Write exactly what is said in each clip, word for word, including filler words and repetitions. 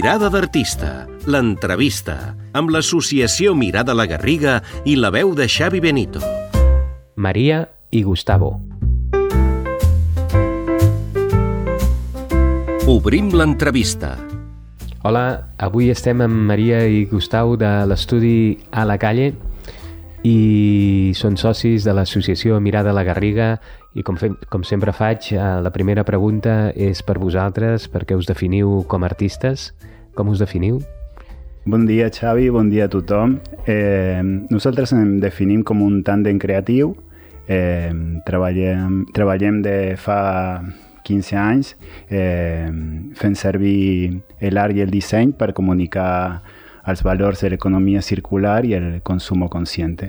Mirada d'artista, l'entrevista, amb l'associació Mirada la Garriga i la veu de Xavi Benito. Maria i Gustavo. Obrim l'entrevista. Hola, avui estem amb Maria i Gustavo de l'estudi A la Calle i són socis de l'associació Mirada la Garriga i com, fem, com sempre faig, la primera pregunta és per vosaltres, perquè us definiu com a artistes. Com us definiu? Bon dia, Xavi, bon dia a tothom. Eh, nosaltres em definim com un tàndem creatiu. Eh, treballem, treballem de fa quinze anys eh, fent servir l'art i el disseny per comunicar els valors de l'economia circular i el consum conscient.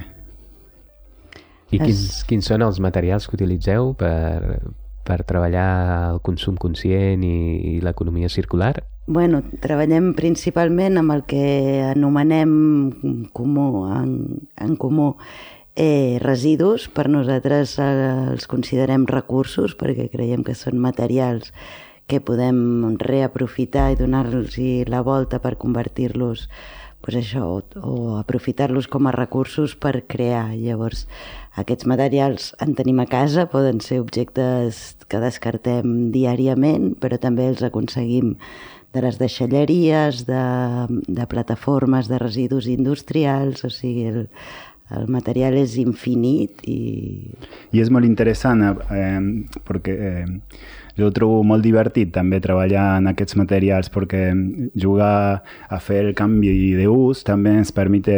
I quins, quins són els materials que utilitzeu per, per treballar el consum conscient i, i l'economia circular? Bueno, treballem principalment amb el que anomenem comú, en, en comú eh, residus. Per nosaltres eh, els considerem recursos perquè creiem que són materials que podem reaprofitar i donar-los la volta per convertir-los pues això, o, o aprofitar-los com a recursos per crear. Llavors, aquests materials en tenim a casa, poden ser objectes que descartem diàriament, però també els aconseguim de les deixalleries, de, de plataformes de residus industrials, o sigui, el, el material és infinit. I, I és molt interessant eh, perquè eh, jo ho trobo molt divertit també treballar en aquests materials perquè jugar a fer el canvi d'ús també ens permet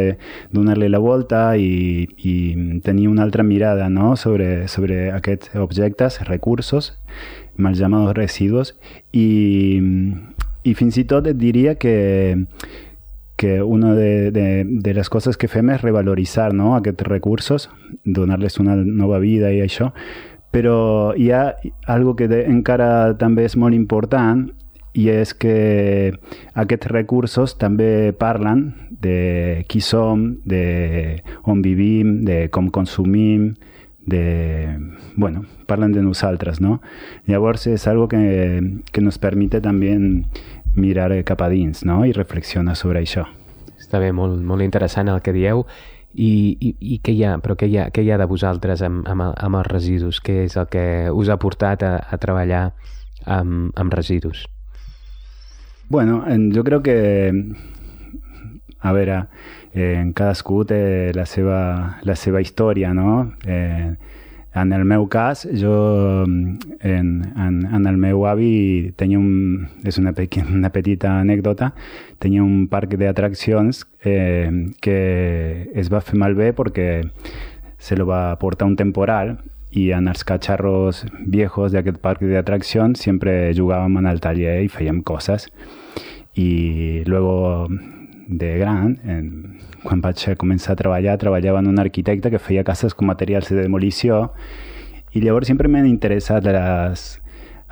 donar-li la volta i, i tenir una altra mirada, ¿no? sobre, sobre aquests objectes, recursos, mal llamados residuos, i, i fins i tot et diria que que una de, de, de les coses que fem és revaloritzar, no? aquests recursos, donar-les una nova vida i això. Però hi ha algo que de, encara també és molt important i és que aquests recursos també parlen de qui som, de on vivim, de com consumim, de, bueno, parlen de nosaltres, no? Llavors és algo que, que nos permite també mirar cap a dins, no? I reflexionar sobre això. Està bé, molt, molt interessant el que dieu. I, i, i què hi ha, però què hi ha, què hi ha de vosaltres amb, amb, amb els residus? Què és el que us ha portat a, a treballar amb, amb residus? Bueno, jo crec que, a veure, eh, cadascú té la seva, la seva història, no? Eh, en el meu cas, jo, en, en, en el meu avi tenia un, és una, pe una petita anècdota, tenia un parc d'atraccions eh, que es va fer malbé perquè se lo va portar un temporal i en els catxarros viejos d'aquest parc d'atraccions sempre jugàvem en el taller i fèiem coses. I luego de gran, en, quan vaig començar a treballar, treballava en un arquitecte que feia cases com materials de demolició i llavors sempre m'han interessat les,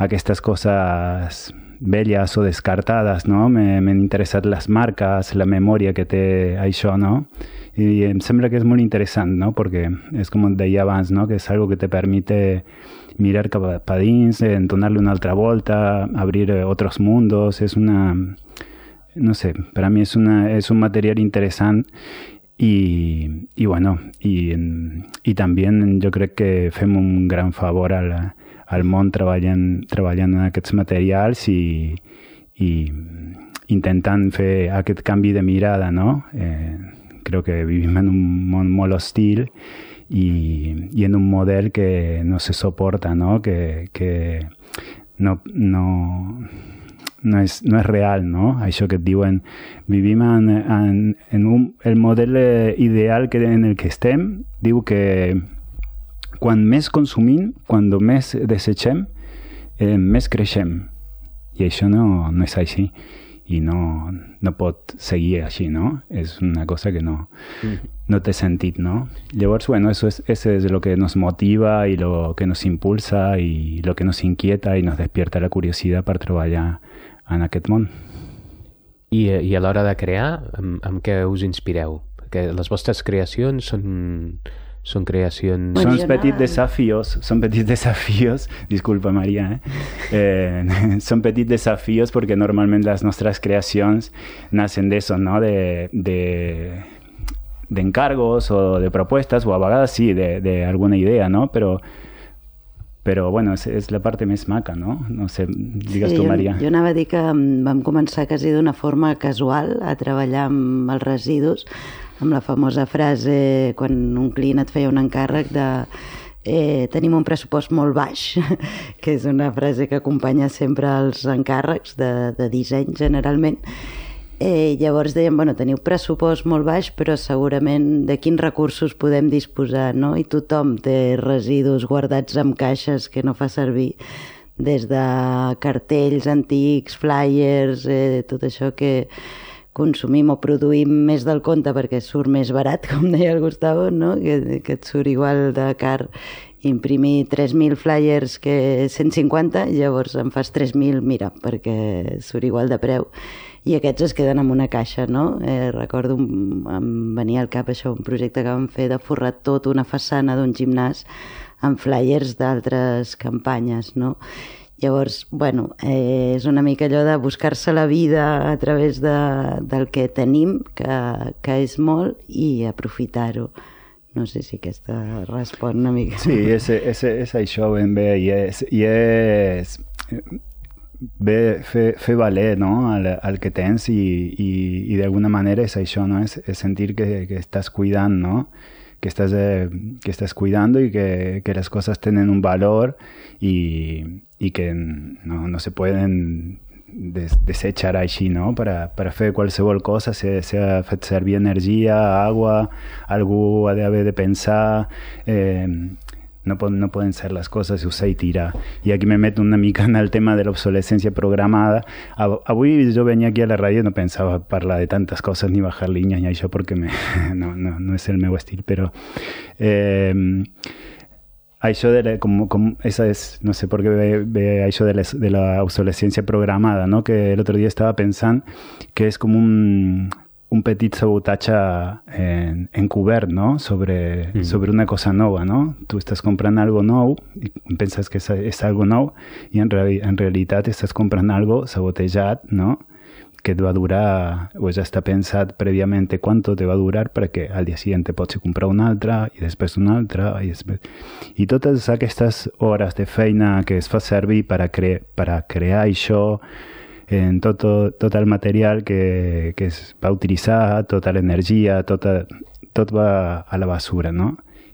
aquestes coses velles o descartades, no? M'han interessat les marques, la memòria que té això, no? I em sembla que és molt interessant, no? Perquè és com deia abans, no? Que és algo que te permite mirar cap a dins, donar-li una altra volta, abrir otros mundos, és una... no sé, per a mi és, una, és un material interessant i, i bueno, i, i també jo crec que fem un gran favor al, al món treballant, treballant en aquests materials i, i intentant fer aquest canvi de mirada, no? Eh, crec que vivim en un món molt hostil i, i en un model que no se soporta, no? Que, que no... no No és, no és real, no? Això que et diuen, vivim en, en, en un, el model ideal que, en el que estem, diu que quan més consumim, quan més desitgem, eh, més creixem. I això no, no és així. I no, no pot seguir així, no? És una cosa que no, no té sentit, no? Llavors, bueno, eso es, eso es lo que nos motiva y lo que nos impulsa y lo que nos inquieta y nos despierta la curiosidad per treballar en aquest món. I, i a l'hora de crear, amb, amb què us inspireu? Perquè les vostres creacions són, són creacions... Són petits desafios, són petits desafios, disculpa Maria, eh? Eh, són petits desafios perquè normalment les nostres creacions nacen d'això, no? De, de, de encargos o de propuestas, o a vegades sí, de, de alguna idea, no? Però Però, bueno, és, és la part més maca, no? No sé, digues sí, tu, Maria. Jo, jo anava a dir que vam començar quasi d'una forma casual a treballar amb els residus, amb la famosa frase quan un client et feia un encàrrec de eh, tenim un pressupost molt baix, que és una frase que acompanya sempre els encàrrecs de, de disseny, generalment. Eh, llavors dèiem, bueno, teniu pressupost molt baix, però segurament de quins recursos podem disposar, no? I tothom té residus guardats en caixes que no fa servir, des de cartells antics, flyers, eh, tot això que consumim o produïm més del compte perquè surt més barat, com deia el Gustavo, no? Que, que et surt igual de car imprimir tres mil flyers que cent cinquanta, llavors en fas tres mil, mira, perquè surt igual de preu. I aquests es queden en una caixa, no? Eh, recordo, un, em venia al cap això, un projecte que vam fer de forrar tot una façana d'un gimnàs amb flyers d'altres campanyes, no? Llavors, bueno, eh, és una mica allò de buscar-se la vida a través de, del que tenim, que, que és molt, i aprofitar-ho. No sé si aquesta respon una mica. Sí, és, és, és això ben bé, i és... I és... Bé, fer, fer valer, no? el, el que tens i, i, i d'alguna manera és això, no? és, és sentir que, que estàs cuidant, no? que, estàs, eh, que estàs cuidant i que, que les coses tenen un valor i, i que no, no se poden des, desechar així, no? per, per fer qualsevol cosa, s'ha si, si fet servir energia, aigua, algú ha d'haver de pensar... Eh, No, no poden ser les coses i usar i tirar. I aquí me meto una mica en el tema de l'obsolescència programada. Avui jo venia aquí a la ràdio i no pensava parlar de tantes coses ni bajar línies ni això perquè me, no, no, no és el meu estil, però eh, això de la, com, com, esa és, no sé per què ve, ve això de, les, de la obsolescència programada, no? Que l'altre dia estava pensant que és com un... un petit sabotatge en, encobert, no? Sobre, mm. sobre una cosa nova, no? Tu estàs comprant algo nou i penses que és, és algo nou i en, reali en realitat estàs comprant algo sabotejat, no? Que et va durar, o ja està pensat prèviament quant te va durar perquè al dia següent pots comprar una altra i després una altra i, després... i totes aquestes hores de feina que es fa servir per a, cre per a crear això, en tot, tot el material que, que es va utilitzar, tota l'energia, tota, tot va a la basura, no?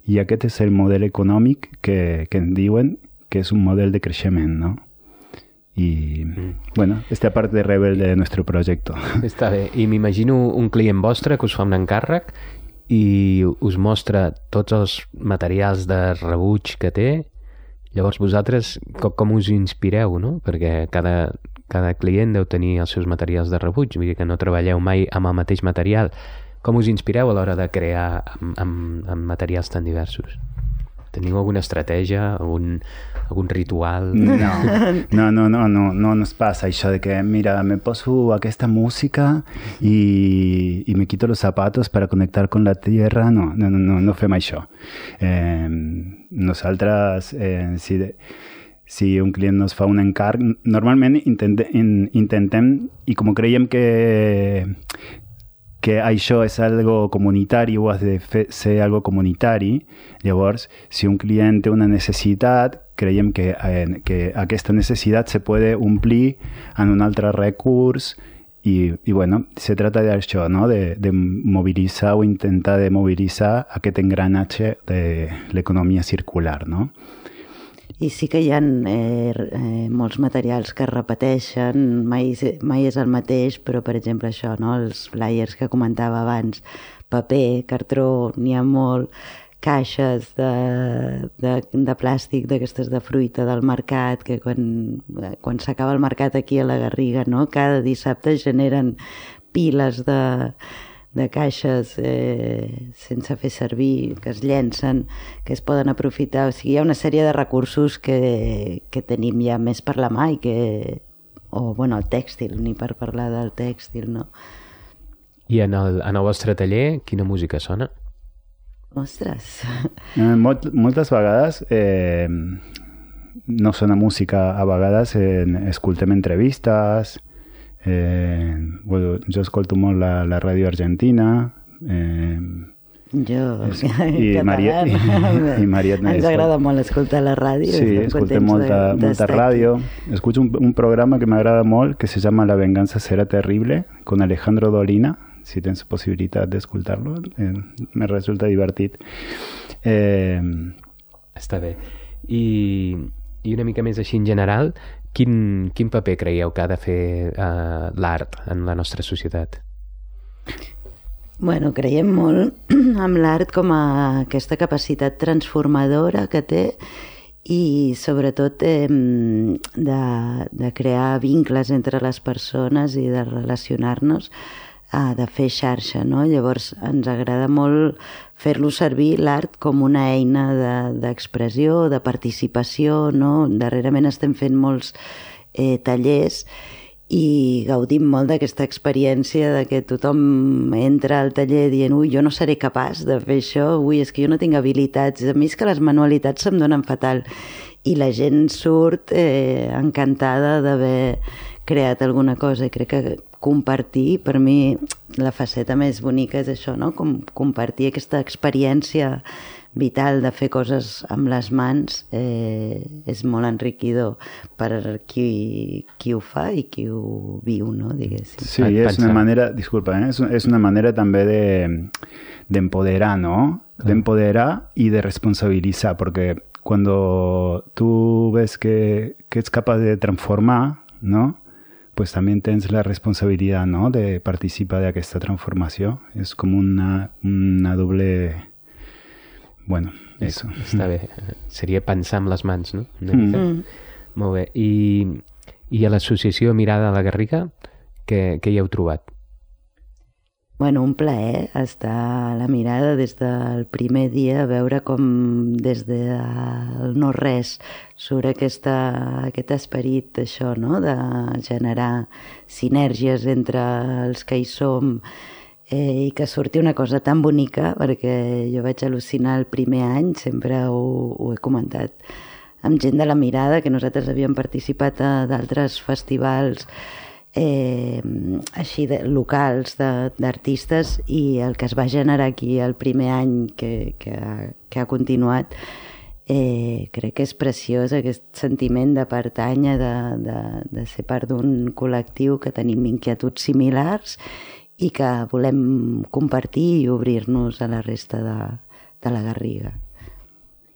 I aquest és el model econòmic que, que en diuen que és un model de creixement, no? I, mm. bueno, esta part de rebel de nuestro projecte. Està bé. I m'imagino un client vostre que us fa un encàrrec i us mostra tots els materials de rebuig que té. Llavors vosaltres com, com us inspireu, no? Perquè cada... cada client deu tenir els seus materials de rebuig, vull dir que no treballeu mai amb el mateix material. Com us inspireu a l'hora de crear amb, amb, amb materials tan diversos? Teniu alguna estratègia, algun, algun ritual? No, no, no, no, no, no nos passa això de que, mira, me poso aquesta música i, i me quito los zapatos para conectar con la tierra. No, no, no, no fem això. Eh, nosaltres, eh, si... De, si un client nos fa un encàrrec, normalment intentem, intentem i com creiem que, que això és algo comunitari o has de fer, ser algo comunitari, llavors, si un client té una necessitat, creiem que, eh, que aquesta necessitat se puede omplir en un altre recurs i, i bueno, se trata d'això, no? de, de mobilitzar o intentar de mobilitzar aquest engranatge de l'economia circular, no? I sí que hi ha eh, eh, molts materials que es repeteixen, mai, mai és el mateix, però per exemple això, no? Els flyers que comentava abans, paper, cartró, n'hi ha molt, caixes de, de, de plàstic d'aquestes de fruita del mercat, que quan, quan s'acaba el mercat aquí a la Garriga, no? Cada dissabte generen piles de... de caixes eh, sense fer servir, que es llencen, que es poden aprofitar. O sigui, hi ha una sèrie de recursos que, que tenim ja més per la mà i que... o, bueno, el tèxtil, ni per parlar del tèxtil, no? I en el, en el vostre taller, quina música sona? Ostres! Eh, molt, moltes vegades eh, no sona música, a vegades eh, escoltem entrevistes, eh, bueno, jo escolto molt la, la ràdio argentina, eh, jo, i Mariet, i, i Mariet ens agrada molt escoltar la ràdio. Sí, escoltem molta, molta ràdio. Escucho un, un programa que m'agrada molt que se llama La venganza será terrible con Alejandro Dolina. Si tens possibilitat d'escoltar-lo, eh, me resulta divertit. Eh... Està bé. I, I una mica més així en general, quin, quin paper creieu que ha de fer eh, l'art en la nostra societat? Bueno, creiem molt amb l'art com a aquesta capacitat transformadora que té i sobretot eh, de, de crear vincles entre les persones i de relacionar-nos, eh, de fer xarxa, no? Llavors ens agrada molt fer-lo servir l'art com una eina d'expressió, de, de participació, no? Darrerament estem fent molts eh, tallers i gaudim molt d'aquesta experiència de que tothom entra al taller dient ui, jo no seré capaç de fer això, ui, és que jo no tinc habilitats, a mi és que les manualitats se'm donen fatal, i la gent surt eh, encantada d'haver creat alguna cosa, i crec que compartir, per mi la faceta més bonica és això, no? Com compartir aquesta experiència vital de fer coses amb les mans eh, és molt enriquidor per qui, qui ho fa i qui ho viu, no? Diguéssim. Sí, és una manera, disculpa, eh? és, és una manera també de d'empoderar, ¿no? D'empoderar y de responsabilizar, porque cuando tú ves que, que es capaz de transformar, ¿no? Pues también tens la responsabilidad, ¿no? De participar de aquesta transformació. És com una, una doble... Bueno, eso. Està bé. Seria pensar amb les mans, no? Una mica. Mm. Molt bé. I, i a l'associació Mirada a la Garriga, què, què hi heu trobat? Bueno, un plaer estar a la Mirada des del primer dia, veure com des del no-res surt aquesta, aquest esperit, això, no? De generar sinergies entre els que hi som, Eh, i que surti una cosa tan bonica, perquè jo vaig al·lucinar el primer any, sempre ho, ho he comentat amb gent de la Mirada, que nosaltres havíem participat a d'altres festivals eh, així de, locals d'artistes, i el que es va generar aquí el primer any que, que, ha, que ha continuat, eh, crec que és preciós, aquest sentiment de pertànyer, de, de, de ser part d'un col·lectiu que tenim inquietuds similars i que volem compartir i obrir-nos a la resta de, de la Garriga.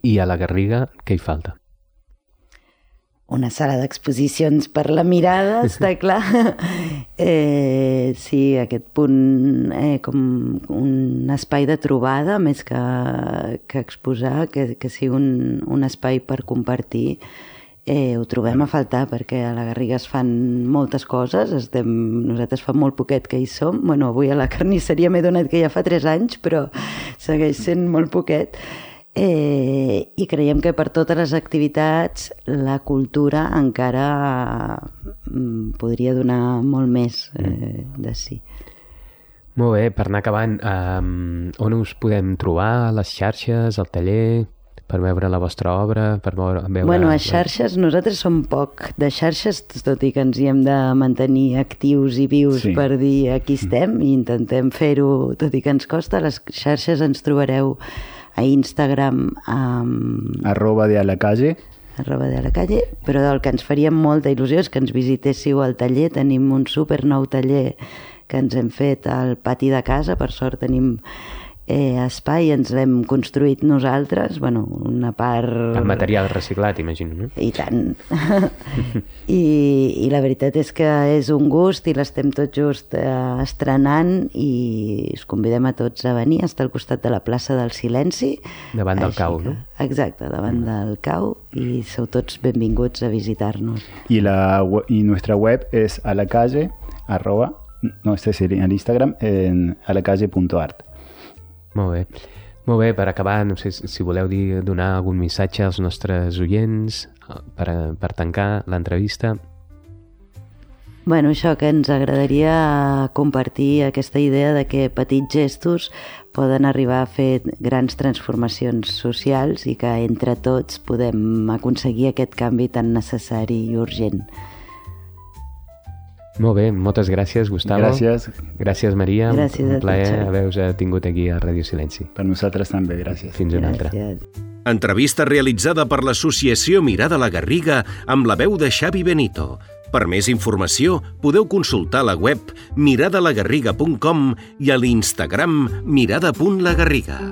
I a la Garriga què hi falta? Una sala d'exposicions per la Mirada, està clar. Eh, sí, aquest punt, eh, com un espai de trobada, més que, que exposar, que, que sigui un, un espai per compartir. Eh, ho trobem a faltar, perquè a la Garriga es fan moltes coses, estem, nosaltres fa molt poquet que hi som, bueno, avui a la carnisseria m'he donat que ja fa tres anys, però segueix sent molt poquet, eh, i creiem que per totes les activitats la cultura encara mm, podria donar molt més eh, de si. Molt bé, per anar acabant, um, on us podem trobar, a les xarxes, al taller... per veure la vostra obra, per veure... Bueno, a xarxes, nosaltres som poc de xarxes, tot i que ens hi hem de mantenir actius i vius, sí, per dir aquí estem, i intentem fer-ho, tot i que ens costa. Les xarxes ens trobareu a Instagram amb... arroba de a la calle. arroba de a la calle, però el que ens faria molta il·lusió és que ens visitéssiu al taller. Tenim un super nou taller que ens hem fet al pati de casa, per sort tenim Eh, espai, ens l'hem construït nosaltres, bueno, una part... El material reciclat, imagino, no? I tant. I, I la veritat és que és un gust i l'estem tot just eh, estrenant, i us convidem a tots a venir, a estar al costat de la plaça del Silenci. Davant del cau, que, no? Exacte, davant mm. del cau, i sou tots benvinguts a visitar-nos. I, la, i nuestra web és a la calle, arroba, no, este sería en Instagram, en alacalle punto art. Molt bé. Molt bé, per acabar, no sé si voleu dir, donar algun missatge als nostres oients per, per tancar l'entrevista. Bueno, això, que ens agradaria compartir aquesta idea de que petits gestos poden arribar a fer grans transformacions socials i que entre tots podem aconseguir aquest canvi tan necessari i urgent. Molt bé, moltes gràcies, Gustavo. Gràcies. Gràcies, Maria. Gràcies un a plaer tots. haver-vos tingut aquí a Ràdio Silenci. Per nosaltres també, gràcies. Fins una altra. Gràcies. Entrevista realitzada per l'associació Mirada la Garriga amb la veu de Xavi Benito. Per més informació, podeu consultar la web mirada la garriga punt com i a l'Instagram mirada punt la garriga.